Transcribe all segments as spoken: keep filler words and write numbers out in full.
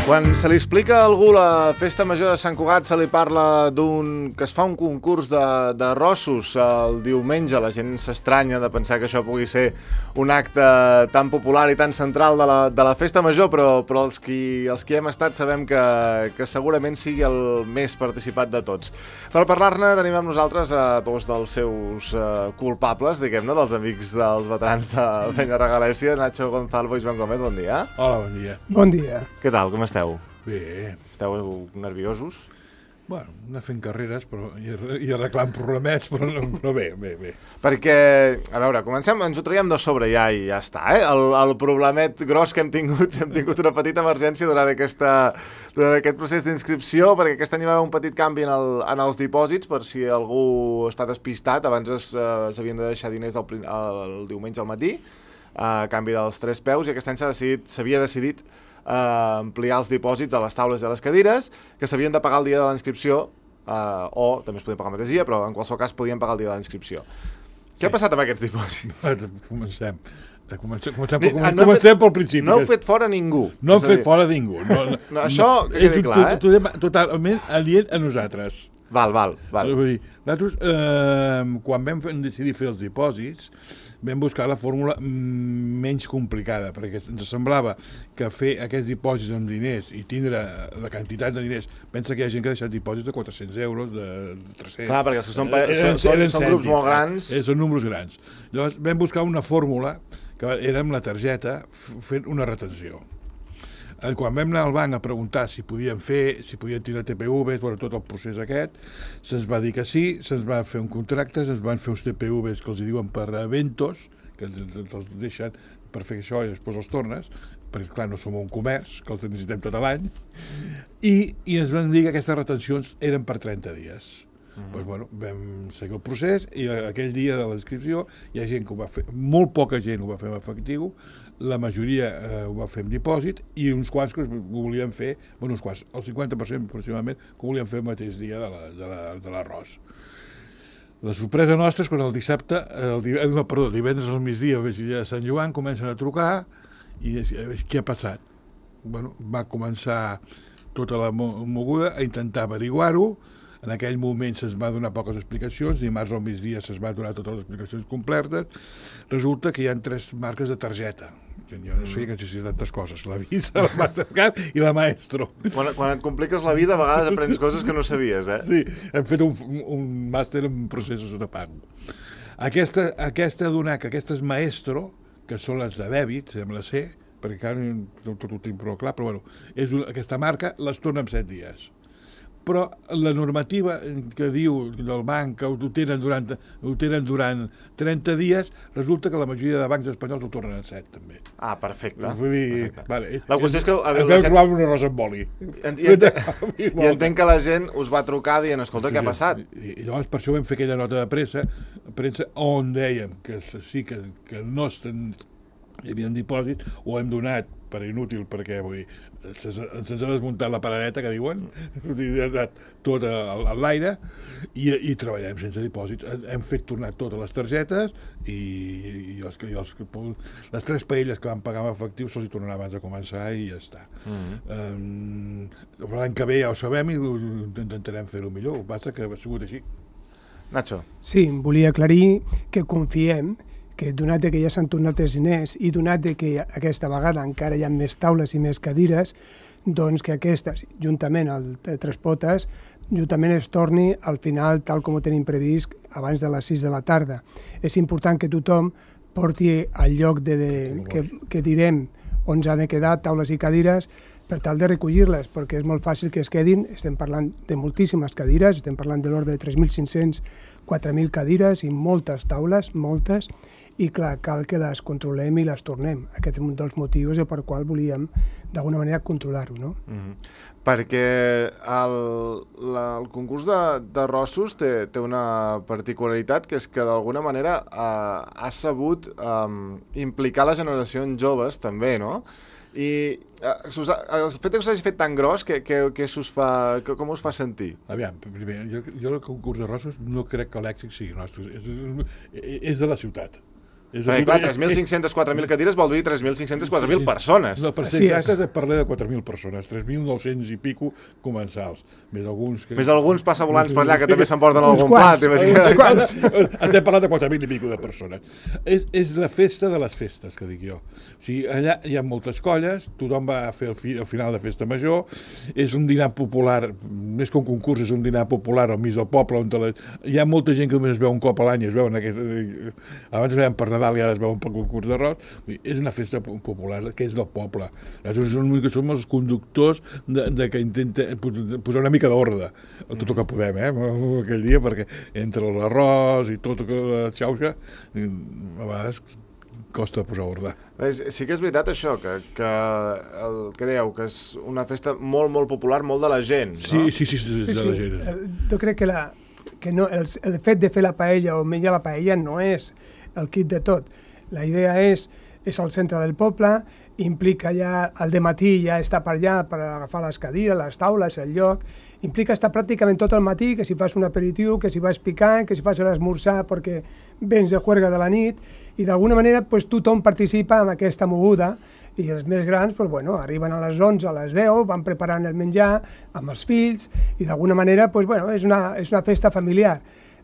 Quan se li explica a algú la festa major de Sant Cugat, se li parla d'un que es fa un concurs de, de rossos el diumenge. La gent s'estranya de pensar que això pugui ser un acte tan popular i tan central de la, de la festa major, però, però els, qui, els qui hem estat sabem que, que segurament sigui el més participat de tots. Per parlar-ne tenim amb nosaltres a dos dels seus uh, culpables, diguem-ne, dels amics dels veterans de Peñarregalèssia, Nacho Gonzalvo i Joan Gómez, bon dia. Hola, bon dia. Bon dia. Què tal, com esteu? Bé. Esteu nerviosos? Bueno, anar fent carreres però, i, i arreglant problemets, però, no, però bé, bé, bé. Perquè, a veure, comencem, ens ho traiem de sobre ja i ja està, eh? El, el problemet gros que hem tingut, hem tingut una petita emergència durant, aquesta, durant aquest procés d'inscripció, perquè aquest any hi va haver un petit canvi en, el, en els dipòsits, per si algú està despistat. Abans s'havien de deixar diners el, el diumenge al matí, a canvi dels tres peus, i aquest any s'ha decidit, s'havia decidit Uh, ampliar els dipòsits a les taules i a les cadires, que s'havien de pagar el dia de la inscripció, uh, o també es podien pagar el mateix dia, però en qualsevol cas podien pagar el dia de la inscripció. Sí. Què ha passat amb aquests dipòsits? Comencem. Comencem, comencem, Ni, comencem, no comencem fet, pel principi. No heu fet fora ningú. No hem fet fora ningú. No, no, no, això que quedi clar, eh? Totalment totalment aliè a nosaltres. Val, val, val. Vull dir, nosaltres, eh, quan vam decidir fer els dipòsits, vam buscar la fórmula menys complicada, perquè ens semblava que fer aquests dipòsits amb diners i tindre la quantitat de diners... Pensa que hi ha gent que ha deixat dipòsits de quatre-cents euros, de tres cents... Clar, perquè els que són, eren, són, són, són grups molt grans... Eh, són números grans. Llavors vam buscar una fórmula que era amb la targeta fent una retenció. Quan vam anar al banc a preguntar si podien fer, si podien tirar T P Vs, bueno, tot el procés aquest, se'ns va dir que sí, se'ns va fer un contracte, se'ns van fer uns T P Vs que els diuen per eventos, que els deixen per fer això i després els tornes, perquè clar, no som un comerç, que els necessitem tot l'any, i, i ens van dir que aquestes retencions eren per trenta dies. Mm-hmm. Doncs, bueno, vam seguir el procés i aquell dia de l'inscripció hi ha gent que ho va fer, molt poca gent ho va fer en efectiu, la majoria eh, ho va fer en dipòsit i uns quants que ho volien fer, bueno, uns quants, el cinquanta per cent aproximadament, que ho volien fer el mateix dia de, la, de, la, de l'arròs. La sorpresa nostra és quan el dissabte, el divendres, no, perdó, el divendres al migdia, a Sant Joan, comencen a trucar i què ha passat? Bueno, va començar tota la moguda a intentar averiguar-ho. En aquell moment se'ns va donar poques explicacions, dimarts al migdia se'ns va donar totes les explicacions completes. Resulta que hi ha tres marques de targeta. Jo no sé que existeixen tantes coses, la Visa, la Mastercard i la Maestro. Quan, quan et compliques la vida, a vegades aprens coses que no sabies, eh? Sí, hem fet un, un màster en processos de pago. Aquesta, aquesta donar que aquestes Maestro, que són les de dèbit, sembla ser, perquè encara no tot ho tinc prou clar, però bueno, és una, aquesta marca les torna en set dies. Però la normativa que diu del banc que ho tenen durant, ho tenen durant trenta dies, resulta que la majoria de bancs espanyols ho tornen en set, també. Ah, perfecte. Vull dir, perfecte. Vale, la qüestió és que... A veure, gent... trobar una rosa amb oli. I, i, entenc, I entenc que la gent us va trucar dient, escolta, què ha passat? I, i llavors per això vam fer aquella nota de pressa, premsa on dèiem que sí, que, que no estan, hi havia un dipòsit, ho hem donat per inútil, perquè vull dir, se'ns ha desmuntat la paradeta, que diuen, tot a l'aire, i, i treballem sense dipòsit. Hem fet tornar totes les targetes i, i, els, i els, les tres paelles que vam pagar en efectiu se'ls hi tornarà abans de començar i ja està. Mm-hmm. um, L'any que ve ja ho sabem i intentarem fer-ho millor, el que passa que ha sigut així. Nacho. Sí, volia aclarir que confiem que donat que ja s'han tornat els diners i donat que aquesta vegada encara hi ha més taules i més cadires, doncs que aquestes, juntament al Tres Potes, juntament es torni al final tal com ho tenim previst abans de les sis de la tarda. És important que tothom porti al lloc de, de, que, que direm on s'ha de quedar taules i cadires per tal de recollir-les, perquè és molt fàcil que es quedin. Estem parlant de moltíssimes cadires, estem parlant de l'ordre de tres mil cinc-cents a quatre mil cadires i moltes taules, moltes, i clar, cal que les controlem i les tornem. Aquest és un dels motius per qual volíem d'alguna manera controlar-ho, no? Mm-hmm. Perquè el, la, el concurs de, de rossos té, té una particularitat, que és que d'alguna manera eh, ha sabut eh, implicar les generacions joves també, no? I eh, el fet que us hagi fet tan gros, que, que, que us fa, que, com us fa sentir? Aviam, primer, jo, jo el concurs de rossos no crec que l'èxit sigui nostre, és, és, és de la ciutat. Perquè, clar, tres mil cinc-cents quatre mil cadires vol dir tres mil cinc-cents quatre mil persones. No, per ser exactes, de parlar de quatre mil persones, tres mil nou-cents i pico comensals. Més alguns... Que... Més alguns passavolants per allà que també s'emporten algun plat. Estem parlant de quatre mil i pico de persones. És, és la festa de les festes, que dic jo. O sigui, allà hi ha moltes colles, tothom va a fer el, fi, el final de festa major, és un dinar popular, més que un concurs, és un dinar popular al mig del poble, on les... hi ha molta gent que només es veu un cop a l'any, es veuen aquest... abans es veien per Nadal i ara es veuen per concurs d'arròs. És una festa popular que és del poble. Nosaltres som, que som els conductors de, de que intenta posar una mica d'ordre a tot el que podem, eh, aquell dia, perquè entre l'arròs i tot la xauxa, a vegades costa posar ordre. Sí que és veritat això, que, que el que dèieu, que és una festa molt, molt popular, molt de la gent, no? Sí, sí, sí, sí, de sí, la gent. Sí. Jo crec que, la, que no, el, el fet de fer la paella o menjar la paella no és el kit de tot. La idea és, és al centre del poble, implica ja, al dematí ja estar per allà per agafar les cadires, les taules, el lloc, implica estar pràcticament tot el matí, que si fas un aperitiu, que si vas picant, que si fas l'esmorzar perquè vens de juerga de la nit, i d'alguna manera pues, tothom participa en aquesta moguda, i els més grans pues, bueno, arriben a les onze, a les deu, van preparant el menjar amb els fills, i d'alguna manera pues, bueno, és, una, és una festa familiar.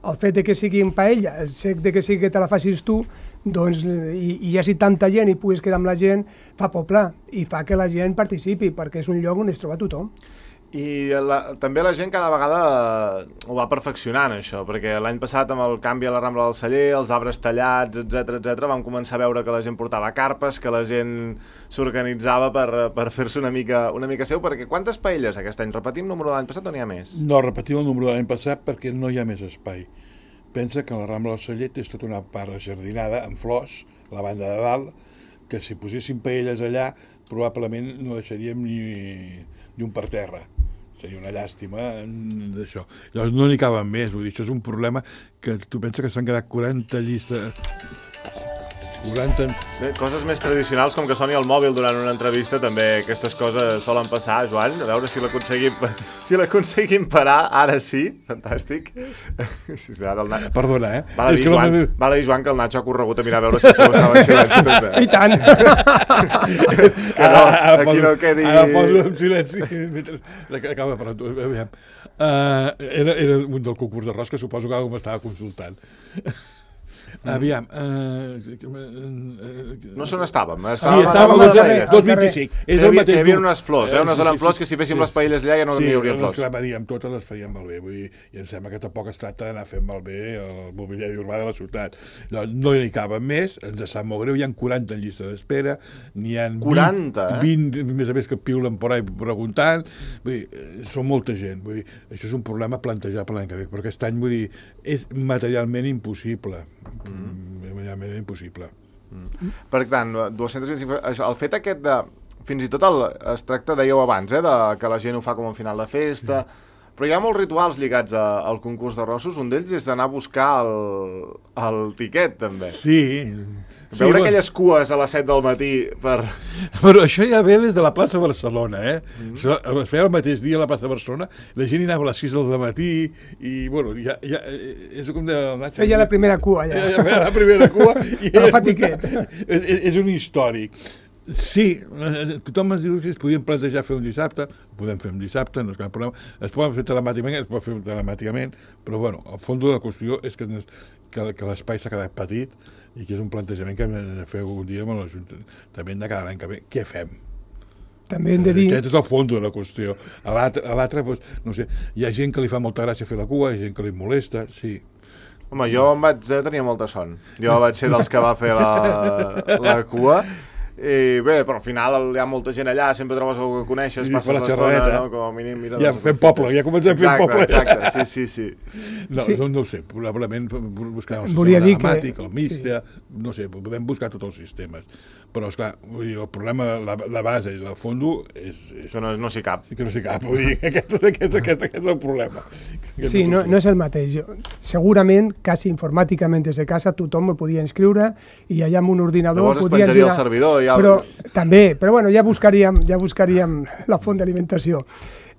El fet de que sigui en paella, el fet de que sigui que te la facis tu, doncs, i, i hi hagi tanta gent i puguis quedar amb la gent, fa poble i fa que la gent participi, perquè és un lloc on es troba tothom. I la, també la gent cada vegada ho va perfeccionant, això, perquè l'any passat amb el canvi a la Rambla del Celler, els arbres tallats, etcètera, etcètera, vam començar a veure que la gent portava carpes, que la gent s'organitzava per, per fer-se una mica, una mica seu, perquè quantes paelles aquest any? Repetim el número de l'any passat o n'hi ha més? No, repetim el número de l'any passat perquè no hi ha més espai. Pensa que la Rambla del Celler és tota una part jardinada amb flors, la banda de dalt, que si poséssim paelles allà probablement no deixaríem ni, ni un per terra. Seria una llàstima d'això. Llavors no n'hi caben més, vull dir, això és un problema que tu penses que s'han quedat quaranta llistes... quaranta... Bé, coses més tradicionals, com que soni el mòbil durant una entrevista, també aquestes coses solen passar, Joan, a veure si l'aconseguim si l'aconseguim parar, ara sí, fantàstic. Ara el Nacho... Perdona, eh? Val a, dir, Joan, no... val a dir, Joan, que el Nacho ha corregut a mirar a veure si el seu estava en silenci també. I tant! Que no, aquí no quedi... Ara poso en silenci mentre acaba per tu. Aviam. Uh, era, era un del concurs d'arròs que suposo que algú m'estava consultant. Aviam... Uh, no sé on estàvem. Sí, estàvem a dos coma vint-i-cinc. És el mateix. Hi havia unes flors, eh? Unes eren flors que si féssim les paelles allà ja no n'hi hauria flors. Sí, les clavaríem totes, les faríem malbé. Vull dir, i em sembla que tampoc es tracta d'anar fent malbé el mobiliari urbà de la ciutat. No hi caben més, ens sap molt greu, hi ha quaranta en llista d'espera, n'hi ha quaranta, vint, vint, més a més que piulen por ahí preguntant. Vull dir, són molta gent. Vull dir, això és un problema plantejable l'any que ve, però aquest any, vull dir, és materialment impossible. Mm. Realment impossible. Mm. Per tant, dos-cents vint-i-cinc... El fet aquest de... Fins i tot el, es tracta, dèieu abans, eh, de que la gent ho fa com a final de festa... Mm. Però hi ha molts rituals lligats a, al concurs d'arrossos. Un d'ells és anar a buscar el, el tiquet, també. Sí. Veure sí, aquelles bueno. cues a les set del matí per... Però això ja ve des de la plaça Barcelona, eh? Mm. Es feia el mateix dia a la plaça Barcelona, la gent hi anava a les sis del matí i, bueno, ja... ja és com de... Feia la primera cua, ja. Ja, ja feia la primera cua. I no fa tiquet. És, és un històric. Sí, tothom ens diu que es podien plantejar fer un dissabte, ho podem fer un dissabte, no és cap problema, es poden fer telemàticament, es pot fer telemàticament, però bueno, el fons de la qüestió és que, que, que l'espai s'ha quedat petit i que és un plantejament que hem de fer un dia amb l'Ajuntament de cada any que ve. Què fem? També hem de dir... Aquest és el fons de la qüestió. A l'altre, doncs, no sé, hi ha gent que li fa molta gràcia fer la cua, hi ha gent que li molesta, sí. Home, jo em vaig tenir molta son. Jo vaig ser dels que va fer la, la cua. I bé, però al final hi ha molta gent allà, sempre trobes algú que coneixes, passes l'estona, no? Com a mínim... Mira, ja fem poble, ja comencem fent poble. Exacte, sí, sí, sí. No, sí. no, no ho sé, probablement buscar el Volia sistema telemàtic, que... el Mixta, sí. No sé, podem buscar tots els sistemes. Però, esclar, vull dir, el problema, la, la base i el fondo és... és que no, no s'hi cap. Que no s'hi cap, vull dir, aquest, aquest, aquest, aquest és el problema. Sí, no, no és el mateix. Segurament, quasi informàticament des de casa, tothom ho podia inscriure i allà amb un ordinador... Llavors es penjaria el servidor ja... Però, també, però bueno, ja buscaríem, ja buscaríem la font d'alimentació.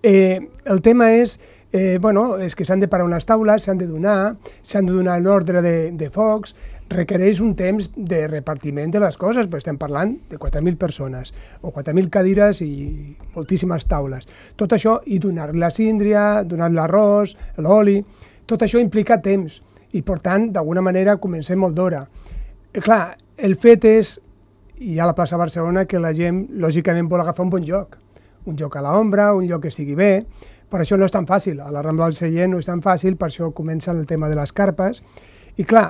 Eh, el tema és, eh, bueno, és que s'han de parar unes taules, s'han de donar, s'han de donar l'ordre de, de focs, requereix un temps de repartiment de les coses, perquè estem parlant de quatre mil persones, o quatre mil cadires i moltíssimes taules. Tot això, i donar la síndria, donar l'arròs, l'oli, tot això implica temps, i per tant, d'alguna manera, comencem molt d'hora. Clar, el fet és, i a la plaça Barcelona, que la gent, lògicament, vol agafar un bon lloc, un lloc a l'ombra, un lloc que estigui bé, per això no és tan fàcil, a la Rambla del Sallent no és tan fàcil, per això comença el tema de les carpes, i clar,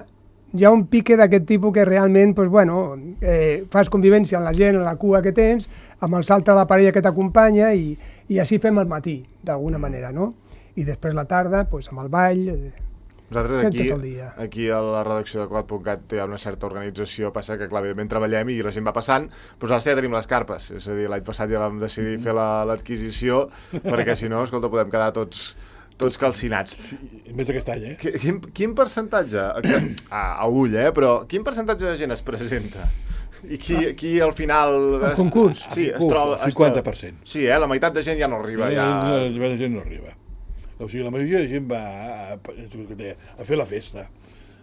hi ha un pique d'aquest tipus que realment, doncs, bueno, eh, fas convivència amb la gent, amb la cua que tens, amb el salt de la parella que t'acompanya i, i així fem el matí, d'alguna manera, no? I després la tarda, doncs, amb el ball... Eh, Nosaltres aquí, aquí a la redacció de quad punt cat hi ha una certa organització, passa que, clar, evidentment treballem i la gent va passant, però nosaltres ja tenim les carpes, és a dir, l'any passat ja vam decidir fer l'adquisició, perquè si no, escolta, podem quedar tots... tots calcinats. Sí, més aquest any, eh? Quin, quin percentatge, que, a, a ull, eh, però quin percentatge de gent es presenta? I qui, qui al final... El concurs? Sí, es troba... cinquanta per cent. Sí, eh, la meitat de gent ja no arriba. Ja... La meitat de gent no arriba. O sigui, la majoria de gent va a, a, a fer la festa.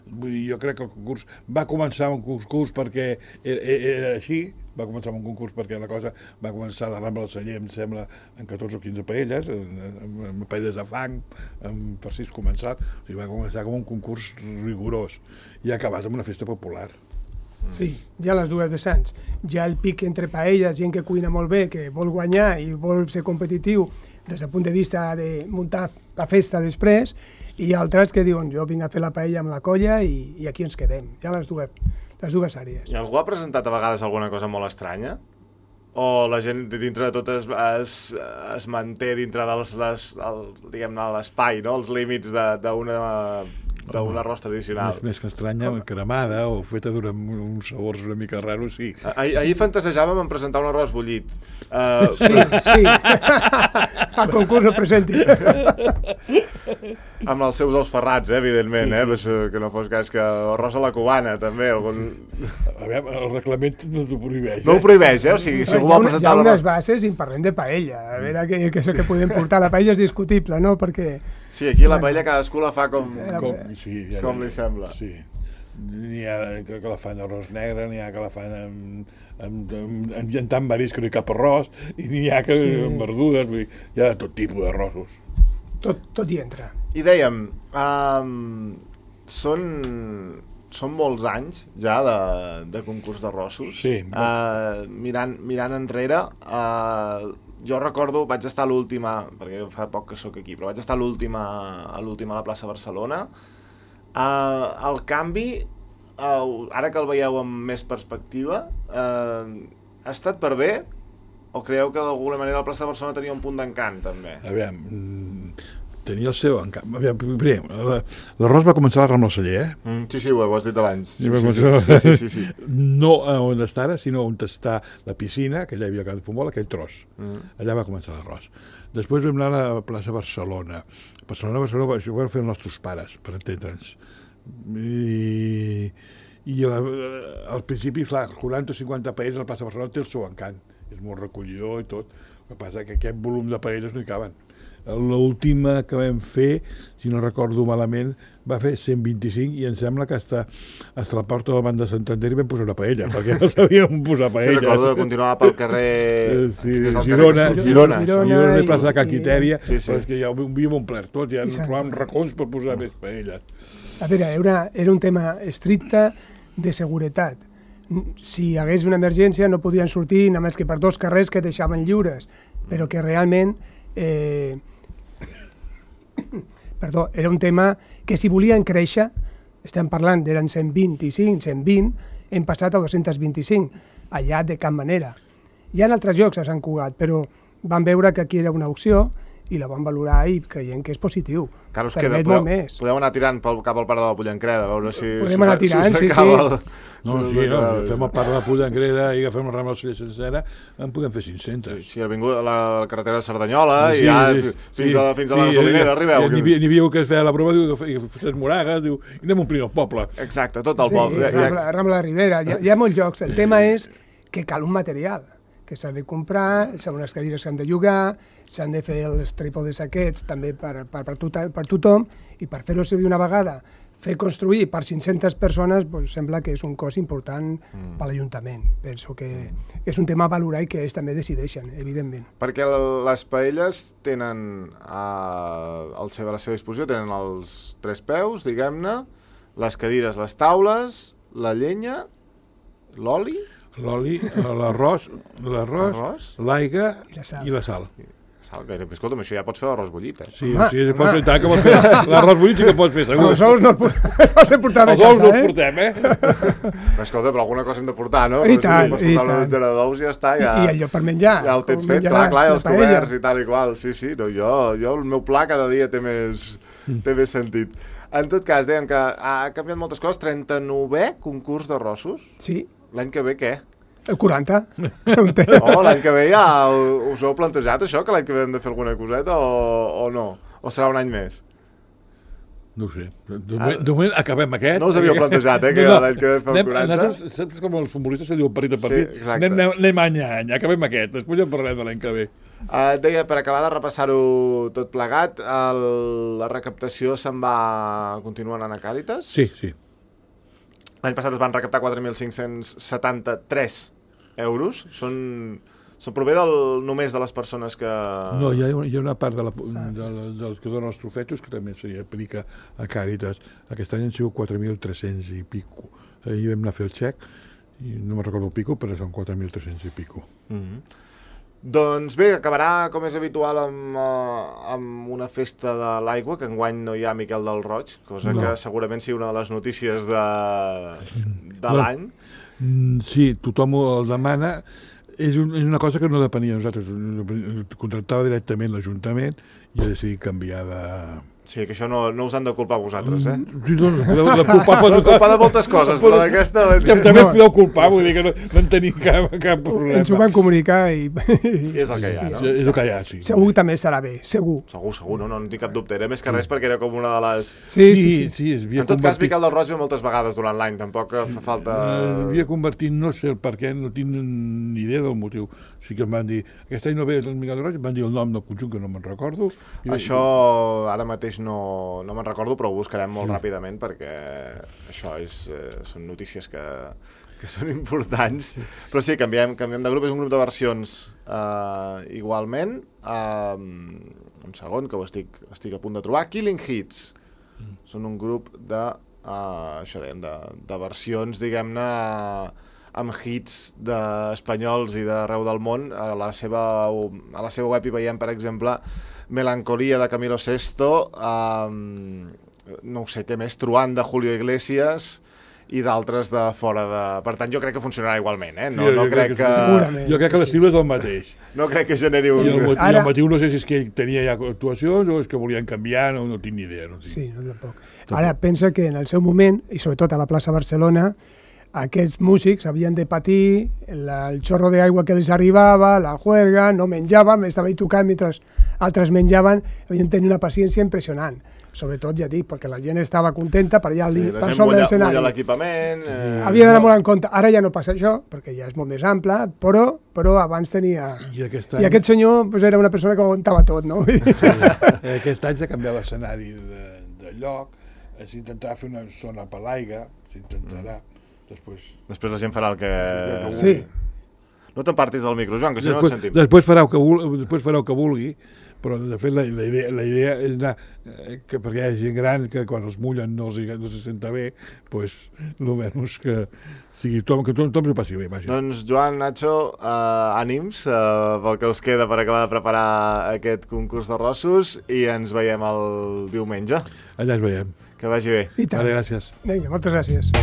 Vull dir, jo crec que el concurs va començar un concurs perquè era, era així, va començar un concurs perquè la cosa va començar a la Rambla del Celler, em sembla, en catorze o quinze paelles, amb paelles de fang, amb per sis començar, o sigui, va començar com un concurs rigorós i ha acabat amb una festa popular. Sí, hi ha les dues vessants. Hi ha el pic entre paelles, gent que cuina molt bé, que vol guanyar i vol ser competitiu des del punt de vista de muntar la festa després, i altres que diuen jo vinc a fer la paella amb la colla i, i aquí ens quedem. Hi ha les dues, les dues àrees. I algú ha presentat a vegades alguna cosa molt estranya? O la gent dintre de tot es, es, es manté dintre dels, les, el, diguem-ne, l'espai, no? Els límits d'una d'un arròs tradicional. Més, més que estranya, cremada o feta durant uns sabors una mica raros, sí. Ahir, ahir fantasejàvem en presentar un arròs bullit. Uh, sí, sí. Al concurs el presenti. Amb els seus ous ferrats, eh, evidentment, sí, eh? Sí. Que no fos cas que arròs a la cubana, també. Algun... A veure, el reglament no t'ho prohibeix, eh? No ho prohibeix, eh? O sigui, si algú vol presentar l'arròs... Hi ha unes bases i en parlem de paella. A veure, que, que això que podem portar. La paella és discutible, no? Perquè... Sí, aquí la paella cadascú la fa com, com, sí, ja com li sembla. Sí. N'hi ha que, que la fan d'arròs negre, n'hi ha que la fan amb, amb, amb, amb llentant marisc, que no hi cap arròs, i n'hi ha que sí. amb verdures, vull dir, hi ha tot tipus d'arrossos. Tot, tot hi entra. I dèiem, um, són, són molts anys ja de, de concurs d'arrossos. Sí. Uh, mirant, mirant enrere... Uh, jo recordo, vaig estar a l'última, perquè fa poc que sóc aquí, però vaig estar a l'última a l'última a la plaça Barcelona. Uh, el canvi, uh, ara que el veieu amb més perspectiva, uh, ha estat per bé? O creieu que d'alguna manera la plaça Barcelona tenia un punt d'encant, també? A veure, tenia el seu encant. Primer, l'arròs va començar a la Rambla del Celler, eh? Mm, sí, sí, ho has dit abans. Sí, sí, sí, sí, sí, sí, sí. No on està ara, sinó on està la piscina, que allà hi havia cada futbol, aquell tros. Mm. Allà va començar l'arròs. Després vam anar a la plaça Barcelona. A Barcelona, Barcelona, això ho van fer els nostres pares, per entendre'ns. I, i la, al principi, clar, quaranta o cinquanta paelles a la plaça Barcelona té el seu encant. És molt recollidor i tot. El que passa és que aquest volum de paelles no hi caben. L'última que vam fer, si no recordo malament, va fer cent vint-i-cinc i em sembla que hasta, hasta la porta del Banc de Santander hi vam posar una paella, perquè no sabíem posar paella. Sí, recordo que continuava pel carrer... Sí, Girona, carrer... Girona, Girona, Girona i plaça de Can Quitèria, sí, sí. però és que ja ho havíem omplert tot, ja ens trobàvem racons per posar més paelles. A veure, era, era un tema estricte de seguretat. Si hi hagués una emergència no podien sortir només que per dos carrers que deixaven lliures, però que realment... Eh, perdó, era un tema que si volien créixer, estem parlant d'eren cent vint-i-cinc, cent vint, hem passat a dos-cents vint-i-cinc, allà de cap manera. Hi ha altres llocs a Sant Cugat, però van veure que aquí era una opció i la van valorar i creient que és positiu. Clar, us queda, podeu, podeu anar tirant pel, cap al Parc de la Pollancreda, a veure si... Podem anar tirant, sí, sí. El... No, sí, no, fem el Parc de la Pollancreda i agafem la Rambla del Celler sencera, en podem fer cinc-centes. Sí, ha vingut la carretera de Cerdanyola i ja fins a la gasolinera arribeu. N'hi havia que es feia la prova, diu que fes moragues, diu, i anem omplint el poble. Exacte, tot el poble. Sí, Rambla de Ribera, hi ha molts llocs. El tema és que cal un material, que s'ha de comprar, són unes cadires que s'han de llogar, s'han de fer els trípodes aquests també per, per, per, tot, per tothom, i per fer-ho servir una vegada, fer construir per cinc-centes persones, doncs sembla que és un cost important mm. per l'Ajuntament. Penso que mm. és un tema a valorar i que ells també decideixen, evidentment. Perquè les paelles tenen a, a la seva disposició, tenen els tres peus, diguem-ne, les cadires, les taules, la llenya, l'oli... L'oli, l'arròs, l'arròs, l'aigua i la sal. Sal, bé, escolta'm, això ja pots fer l'arròs bullit, eh? Sí, home, sí, pots fer tant que pots fer l'arròs bullit sí que pots fer, segur. Els ous no els portem Els ous no els portem, eh? Escolta, però alguna cosa hem de portar, no? I tant, pots i portar una tant. dotzena d'ous i ja està, ja... I allò per menjar. Ja ho tens fet, clar, clar, els coberts i tal i qual. Sí, sí, no, jo, jo, el meu pla cada dia té més, té més sentit. En tot cas, dèiem que ha canviat moltes coses, trenta-novè concurs d'arrossos. Sí. L'any que ve què? El quaranta. Oh, l'any que ve ja us heu plantejat això, que l'any que ve hem de fer alguna coseta o, o no? O serà un any més? No ho sé. De moment, de moment acabem aquest. No us havíeu plantejat, eh, que no, no. l'any que ve fem quaranta? Nosaltres, saps com els futbolistes se diuen partit a partit? Sí, anem, anem any a any, acabem aquest, després ja en parlarem de l'any que ve. Uh, deia, per acabar de repassar-ho tot plegat, el, la recaptació se'n va continuar anant a Càritas? Sí, sí. L'any passat es van recaptar quatre mil cinc-cents setanta-tres euros. Són, són prové del, només de les persones que... No, hi ha, hi ha una part de la, de la, dels que donen els trofetos que també s'hi aplica a Càritas. Aquest any han sigut quatre mil tres-cents i pico. Ahir vam anar a fer el xec, i no me'n recordo el pico, però són quatre mil tres-cents i pico. Mm-hmm. Doncs bé, acabarà, com és habitual, amb, uh, amb una festa de l'aigua, que enguany no hi ha Miquel del Roig, cosa no. que segurament sigui una de les notícies de, de no. l'any. Sí, tothom el demana. És, un, és una cosa que no depenia de nosaltres. Contractava directament l'Ajuntament i ha decidit canviar de... Sí, que això no, no us han de culpar vosaltres, eh? Sí, no, no, de, de culpar, pot... de culpar de moltes coses, però d'aquesta... Ja, també no. podeu culpar, vull dir que no, no en tenim cap, cap problema. Ens ho van comunicar i... I és el que hi ha, no? Sí, és el que hi ha, sí. Segur que també estarà bé, segur. Segur, segur, no, no, no tinc cap dubte. Era més que res perquè era com una de les... Sí, sí, sí. sí, sí en tot convertit... cas, Miquel del Roig ve moltes vegades durant l'any, tampoc fa falta... Havia convertit, no sé el per què, no tinc ni idea del motiu. Sí que em van dir, aquest any no ve el Miquel del Roig, em van dir el nom del conjunt que no me'n recordo. I... Això ara mateix no, no me'n recordo, però ho buscarem molt sí. ràpidament perquè això és, eh, són notícies que, que són importants. Sí. Però sí, canviem, canviem de grup, és un grup de versions eh, igualment. Eh, un segon, que ho estic, estic a punt de trobar. Killing Hits. Mm. Són un grup de, eh, això dèiem, de, de versions, diguem-ne, amb hits d'espanyols i d'arreu del món. A la seva, a la seva web hi veiem, per exemple, Melancolía de Camilo Sesto, um, no ho sé què més, Truán de Julio Iglesias i d'altres de fora de... Per tant, jo crec que funcionarà igualment, eh? No, sí, no jo crec, crec que... Segurament. Jo crec que l'estil és el mateix. No crec que generi un... I el, motiu, Ara... el motiu no sé si és que tenia ja actuacions o és que volien canviar, no, no tinc ni idea. No tinc. Sí, no, tampoc. Ara, pensa que en el seu moment, i sobretot a la plaça Barcelona, aquests músics havien de patir la, el xorro d'aigua que els arribava, la juerga, no menjaven, estava ahí tocant mentre altres menjaven, havien de tenir una paciència impressionant. Sobretot, ja dic, perquè la gent estava contenta per allà sí, per sobre de l'escenari. Mulla l'equipament... Eh... Havia d'anar molt en compte. Ara ja no passa això, perquè ja és molt més ample, però, però abans tenia... I aquest, any... I aquest senyor pues, era una persona que aguantava tot, no? Sí. Aquest any s'ha canviat l'escenari de, de lloc, s'intentarà fer una zona per l'aigua, s'intentarà... Mm. Després... Després la gent farà el que... Sí. No t'empartis del micro, Joan, que si després, no et sentim. Després farà el que vulgui, després farà el que vulgui, però de fet la, la, idea, la idea és anar, eh, que perquè hi ha gent gran que quan els mullen no, els, no se senta bé, doncs almenys que sigui tothom, que tothom s'ho passi bé. Vaja. Doncs Joan, Nacho, eh, ànims eh, pel que us queda per acabar de preparar aquest concurs de rossos i ens veiem el diumenge. Allà ens veiem. Que vagi bé. I tant. Vale, gràcies. Vinga, moltes gràcies.